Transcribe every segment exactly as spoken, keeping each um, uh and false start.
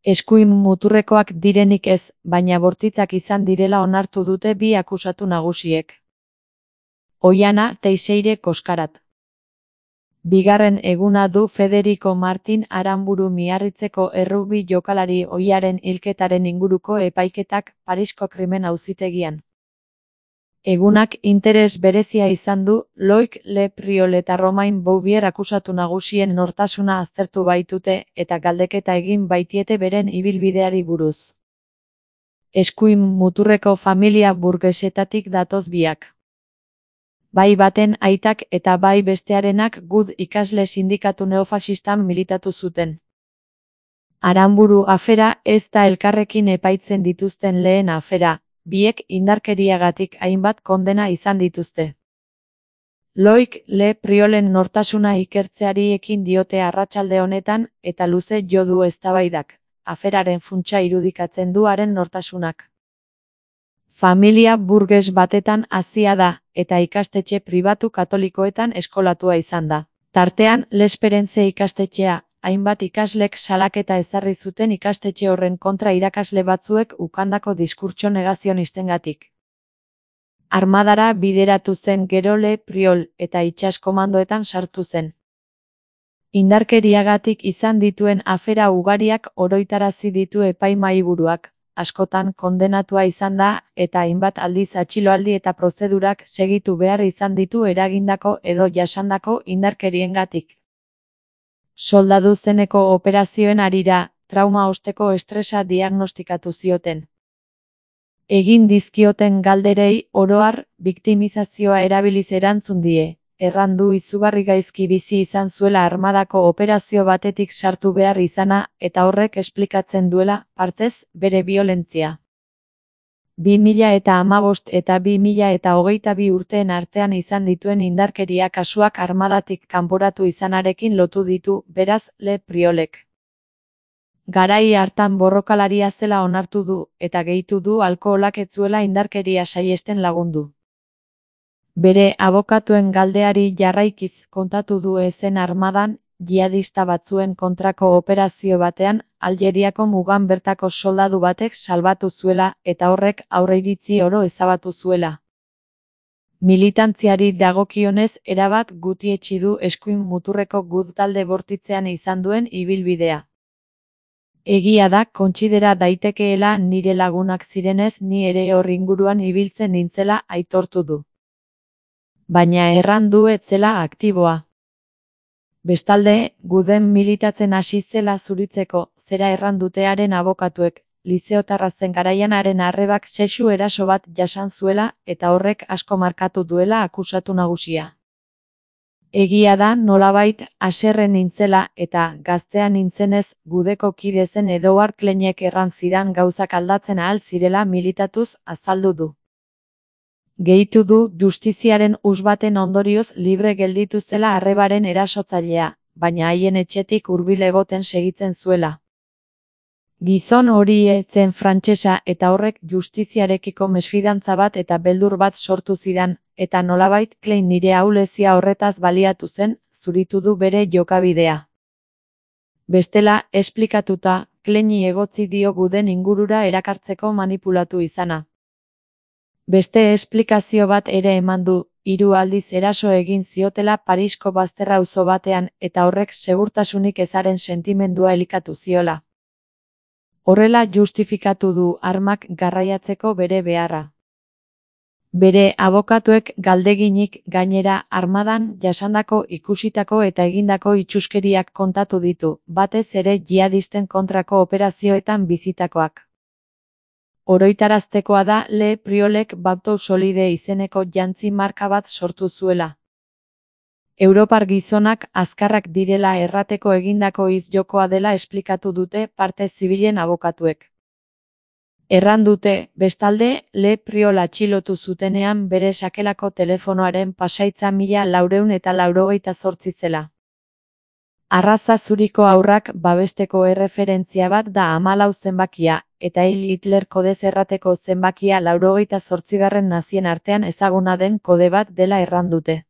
Eskuin muturrekoak direnik ez, baina bortitzak izan direla onartu dute bi akusatu nagusiek. Oihana Teixeire Koskarat. Bigarren eguna du Federico Martin Aranburu Miarritzeko errugbi jokalari ohiaren hilketaren inguruko epaiketak Parisko krimen auzitegian. Egunak interes berezia izan du, Loic Le Priol eta Romain Bouvier akusatu nagusien nortasuna aztertu baitute eta galdeketa egin baitiete beren ibilbideari buruz. Eskuin muturreko familia burgesetatik datoz biak. Bai baten aitak eta bai bestearenak Gud ikasle sindikatu neofaxistan militatu zuten. Aranburu afera ez da elkarrekin epaitzen dituzten lehen afera. Biek indarkeriagatik hainbat kondena izan dituzte. Loic Le Priolen nortasuna ikertzeari ekin diote arratsalde honetan eta luze jo du eztabaidak, aferaren funtsa irudikatzen du haren nortasunak. Familia burges batetan hazia da, eta ikastetxe pribatu katolikoetan eskolatua izan da. Tartean, L'Esperance ikastetxea, hainbat ikaslek salaketa ezarri zuten ikastetxe horren kontra irakasle batzuek ukandako diskurtso negazionistengatik. Armadara bideratu zen gero Le Priol eta itsas komandoetan sartu zen. Indarkeriagatik izan dituen afera ugariak oroitarazi ditu epaimahaiburuak, askotan kondenatua izan da eta hainbat aldiz atxiloaldi eta prozedurak segitu behar izan ditu eragindako edo jasandako indarkeriengatik. Soldadu zeneko operazioen harira, trauma osteko estresa diagnostikatu zioten. Egin dizkioten galderei, oro har, biktimizazioa erabiliz erantzun die, errandu izugarri gaizki bizi izan zuela armadako operazio batetik sartu behar izana, eta horrek esplikatzen duela, partez, bere biolentzia. bi mila eta hamabost eta bi mila eta hogeita bi urteen artean izan dituen indarkeria kasuak armadatik kanporatu izanarekin lotu ditu, beraz, Le Priolek. Garai hartan borrokalaria zela onartu du, eta gehitu du alkoholak ez zuela indarkeria saihesten lagundu. Bere abokatuen galdeari jarraikiz kontatu du ezen armadan, jihadista batzuen kontrako operazio batean, Aljeriako mugan bertako soldadu batek salbatu zuela eta horrek aurreiritzi oro ezabatu zuela. Militantziari dagokionez erabat gutietsi du eskuin muturreko Gud talde bortitzean izan duen ibilbidea. Egia da kontsidera daitekeela nire lagunak zirenez ni ere hor inguruan ibiltzen nintzela aitortu du. Baina erran du ez zela aktiboa. Bestalde, Guden militatzen hasi zela zuritzeko, zera errandutearen abokatuek, lizeotarra zen garaian haren arrebak sexu eraso bat jasan zuela eta horrek asko markatu duela akusatu nagusia. Egia da nolabait haserre nintzela eta gaztean nintzenez Gudeko kide zen Edouard Kleinek erran zidan gauzak aldatzen ahal zirela militatuz azaldu du. Gehitu du justiziaren us baten ondorioz libre gelditu zela arrebaren erasotzailea, baina haien etxetik hurbil egoten segitzen zuela. Gizon hori ez zen frantsesa eta horrek justiziarekiko mesfidantza bat eta beldur bat sortu zidan, eta nolabait Klein nire ahulezia horretaz baliatu zen, zuritu du bere jokabidea. Bestela, esplikatuta, Kleini egotzi dio Guden ingurura erakartzeko manipulatu izana. Beste esplikazio bat ere eman du, hiru aldiz eraso egin ziotela Parisko bazterra auzo batean eta horrek segurtasunik ezaren sentimendua elikatu ziola. Horrela justifikatu du armak garraiatzeko bere beharra. Bere abokatuek galdeginik gainera armadan jasandako ikusitako eta egindako itsuskeriak kontatu ditu, batez ere jihadisten kontrako operazioetan bizitakoak. Oroitaraztekoa da Le Priolek Baptou Solide izeneko jantzi marka bat sortu zuela. Europar gizonak azkarrak direla errateko egindako izjokoa dela esplikatu dute parte zibilen abokatuek. Erran dute, bestalde, Le Priol atxilotu zutenean bere sakelako telefonoaren pasaitza mila laurehun eta laurogeita zortzi zela. Arraza zuriko haurrak babesteko erreferentzia bat da hamalau zenbakia, eta hil Hitler kodez errateko zenbakia laurogeita zortzigarren nazien artean ezaguna den kode bat dela erran dute.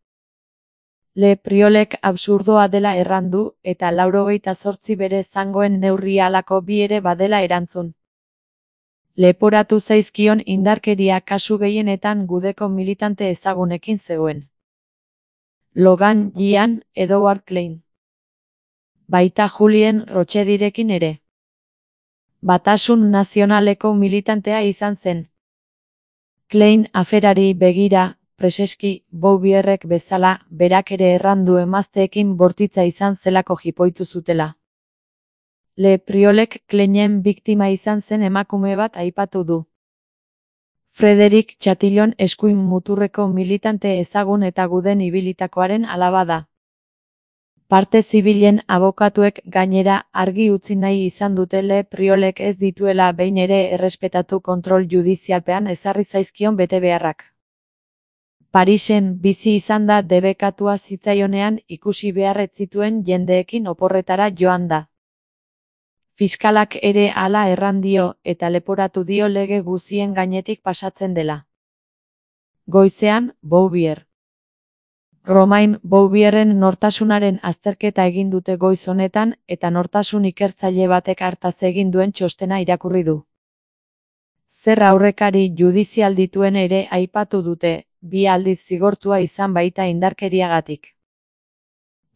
Le Priolek absurdoa dela errandu, eta laurogeita zortzi bere zangoen neurria halako bi ere badela erantzun. Leporatu zaizkion indarkeria kasu gehienetan gudeko militante ezagunekin zegoen. Logan Gian, Edward Klein. Baita Julien Rochedirekin ere. Batasun nazionaleko militantea izan zen. Klein aferari begira, preseski, Bouvierrek bezala, berak ere errandu emazteekin bortitza izan zelako jipoitu zutela. Le Priolek Kleinen biktima izan zen emakume bat aipatu du. Frederic Chatillon eskuin muturreko militante ezagun eta guden ibilitakoaren alaba da. Parte zibilen abokatuek gainera argi utzi nahi izan dute Le Priolek ez dituela behin ere errespetatu kontrol judizialpean ezarri zaizkion betebeharrak. Parisen bizi izan da debekatua zitzaionean ikusi beharret zituen jendeekin oporretara joan da. Fiskalak ere hala erran dio eta leporatu dio lege guzien gainetik pasatzen dela. Goizean, Bouvier. Romain Bouvierren nortasunaren azterketa egin dute goiz honetan eta nortasun ikertzaile batek hartaz egin duen txostena irakurri du. Zer aurrekari judizial dituen ere aipatu dute, bi aldiz zigortua izan baita indarkeriagatik.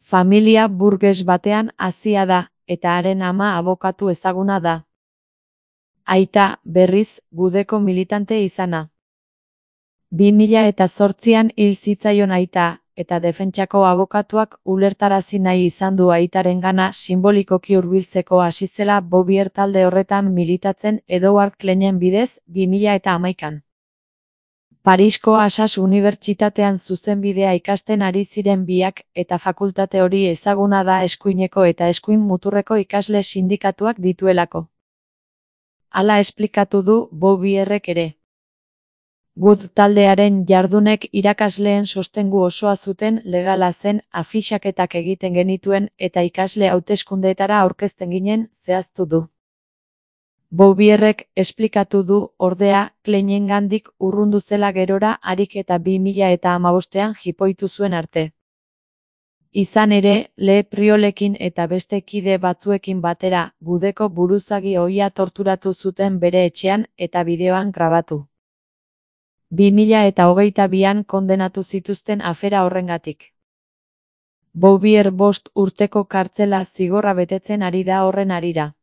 Familia burges batean hazia da, eta haren ama abokatu ezaguna da. Aita, berriz, gudeko militante izana. bi mila eta zortzian hil zitzaion aita, eta defentsako abokatuak ulertarazi nahi izan du aitarengana simbolikoki hurbiltzeko hasi zela Bouvier talde horretan militatzen Edward Kleinen bidez bi mila eta hamaikan. Parisko Assas Unibertsitatean zuzenbidea ikasten ari ziren biak eta fakultate hori ezaguna da eskuineko eta eskuin muturreko ikasle sindikatuak dituelako. Hala esplikatu du Bouvierrek ere. Good taldearen jardunek irakasleen sostengu osoa zuten legala zen afixaketak egiten genituen eta ikasle hauteskundeetara aurkezten ginen zehaztu du. Bouvierrek esplikatu du ordea Kleinengandik urrundu zela gerora harik eta bi mila eta hamabostean jipoitu zuen arte. Izan ere, Le Priolekin eta beste kide batzuekin batera, gudeko buruzagi ohia torturatu zuten bere etxean eta bideoan grabatu. bi mila eta hogeita bian kondenatu zituzten afera horrengatik. Bouvier bost urteko kartzela zigorra betetzen ari da horren harira.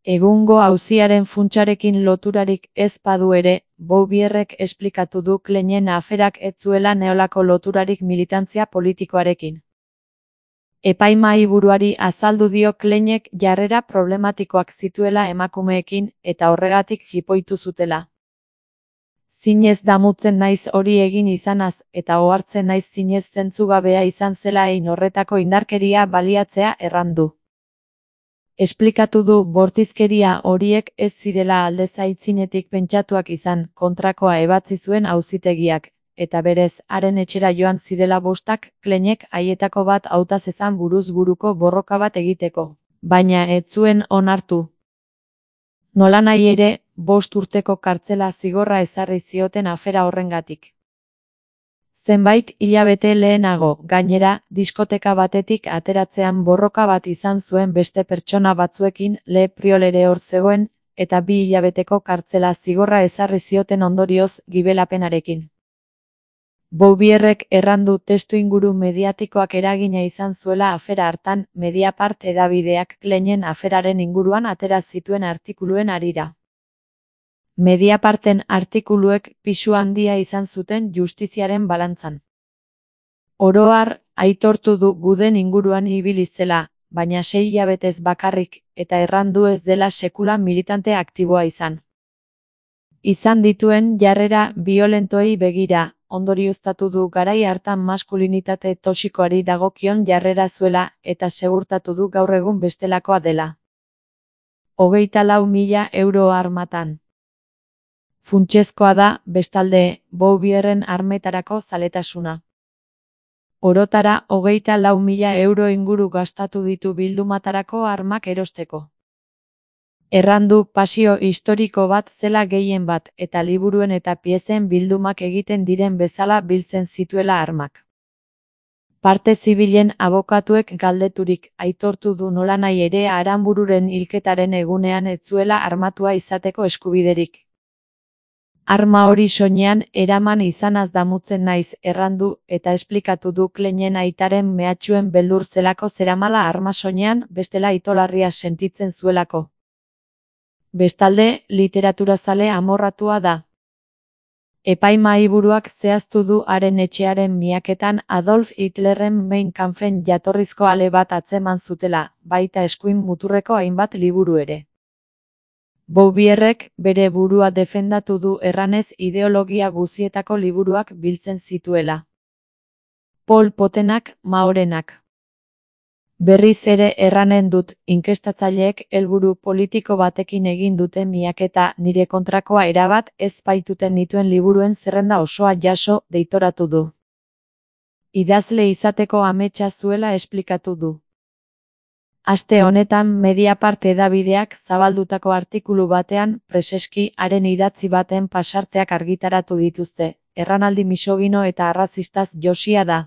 Egungo auziaren funtsarekin loturarik ez badu ere, Bouvierrek esplikatu du Kleinen aferak ez zuela neolako loturarik militantzia politikoarekin. Epaimahai buruari azaldu dio Kleinek jarrera problematikoak zituela emakumeekin eta horregatik jipoitu zutela. Zinez damutzen naiz hori egin izanaz eta ohartzen naiz zinez zentzugabea izan zela hein horretako indarkeria baliatzea errandu. Esplikatu du bortizkeria horiek ez zirela aldez aitzinetik pentsatuak izan, kontrakoa ebatzi zuen auzitegiak, eta berez, haren etxera joan zirela bostak, Kleinek haietako bat hautazezan buruz buruko borroka bat egiteko, baina ez zuen onartu. Nolanahi ere, bost urteko kartzela zigorra ezarri zioten afera horrengatik. Zenbait hilabete lehenago, gainera, diskoteka batetik ateratzean borroka bat izan zuen beste pertsona batzuekin Le Priol ere hor zegoen, eta bi hilabeteko kartzela zigorra ezarri zioten ondorioz gibelapenarekin. Bouvierrek errandu testuinguru mediatikoak eragina izan zuela afera hartan, Mediapart hedabideak Kleinen aferaren inguruan atera zituen artikuluen harira. Mediaparten artikuluek pisu handia izan zuten justiziaren balantzan. Oro har, aitortu du guden inguruan ibili zela, baina sei hilabetez bakarrik, eta errandu ez dela sekula militante aktiboa izan. Izan dituen jarrera biolentoei begira, ondorioztatu du garai hartan maskulinitate toxikoari dagokion jarrera zuela eta segurtatu du gaur egun bestelakoa dela. Hogeita lau mila euro armatan. Funtsezkoa da, bestalde, Bouvierren armetarako zaletasuna. Orotara hogeita lau mila euro inguru gastatu ditu bildumatarako armak erosteko. Errandu pasio historiko bat zela gehien bat eta liburuen eta piezen bildumak egiten diren bezala biltzen zituela armak. Parte zibilen abokatuek galdeturik aitortu du nolanahi ere Aranbururen hilketaren egunean ez zuela armatua izateko eskubiderik. Arma hori soinean eraman izanaz damutzen naiz errandu eta esplikatu du Kleinen aitaren mehatxuen beldur zelako zeramala arma soinean bestela itolarria sentitzen zuelako. Bestalde, literaturazale amorratua da. Epaimahaiburuak zehaztu du haren etxearen miaketan Adolf Hitlerren Mein Kampfen jatorrizko ale bat atzeman zutela, baita eskuin muturreko hainbat liburu ere. Bouvierrek bere burua defendatu du erranez ideologia guzietako liburuak biltzen zituela. Pol Potenak, Maorenak. Berriz ere erranen dut, inkestatzaileek helburu politiko batekin egin dute miaketa nire kontrakoa erabat ez baituten nituen liburuen zerrenda osoa jaso deitoratu du. Idazle izateko ametsa zuela esplikatu du. Aste honetan Mediapart hedabideak zabaldutako artikulu batean preseski haren idatzi baten pasarteak argitaratu dituzte, erranaldi misogino eta arrazistaz josia da.